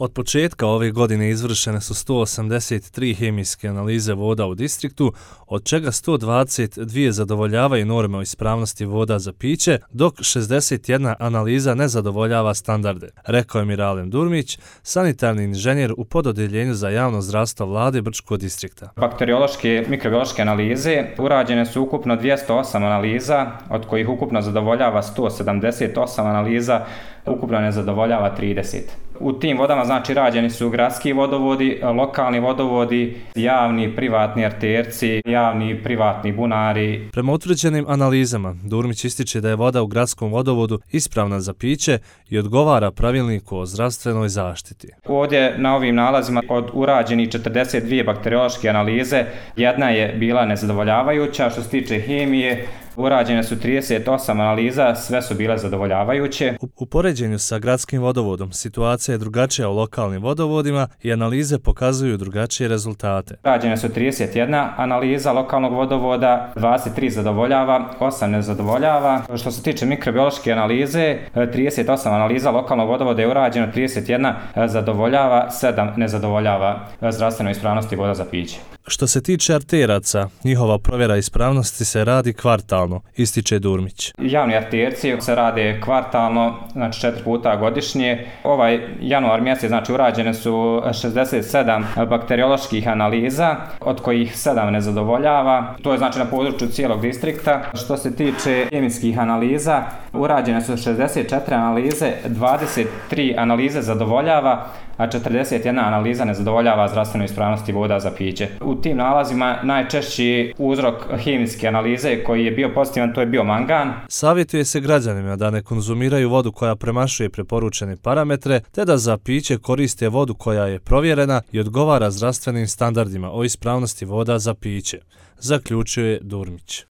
Od početka ove godine izvršene su 183 hemijske analize voda u distriktu, od čega 122 zadovoljavaju norme o ispravnosti voda za piće, dok 61 analiza ne zadovoljava standarde, rekao je Miralem Durmić, sanitarni inženjer u pododjeljenju za javno zdravstvo vlade Brčkog distrikta. Bakteriološke, mikrobiološke analize urađene su ukupno 208 analiza, od kojih ukupno zadovoljava 178 analiza, ukupno ne zadovoljava 30. U tim vodama rađeni su gradski vodovodi, lokalni vodovodi, javni, privatni arterci, javni, privatni bunari. Prema utvrđenim analizama, Durmić ističe da je voda u gradskom vodovodu ispravna za piće i odgovara pravilniku o zdravstvenoj zaštiti. Ovdje na ovim nalazima od urađenih 42 bakteriološke analize, jedna je bila nezadovoljavajuća. Što se tiče hemije, urađene su 38 analiza, sve su bile zadovoljavajuće. U poređenju sa gradskim vodovodom situacija je drugačija u lokalnim vodovodima i analize pokazuju drugačije rezultate. Urađene su 31 analiza lokalnog vodovoda, 23 zadovoljava, 8 ne zadovoljava. Što se tiče mikrobiološke analize, 38 analiza lokalnog vodovoda je urađeno, 31 zadovoljava, 7 ne zadovoljava zdravstvenoj ispravnosti voda za piće. Što se tiče arteraca, njihova provjera ispravnosti se radi kvartalno, ističe Durmić. Javni arterci se rade kvartalno, 4 puta godišnje. Ovaj januar mjesec, urađene su 67 bakterioloških analiza, od kojih 7 ne zadovoljava. To je na području cijelog distrikta. Što se tiče hemijskih analiza, urađene su 64 analize, 23 analize zadovoljava, a 41 analiza ne zadovoljava zdravstvenoj ispravnosti voda za piće. U tim nalazima najčešći uzrok hemijske analize koji je bio pozitivan, to je bio mangan. Savjetuje se građanima da ne konzumiraju vodu koja premašuje preporučene parametre, te da za piće koriste vodu koja je provjerena i odgovara zdravstvenim standardima o ispravnosti voda za piće, zaključuje Durmić.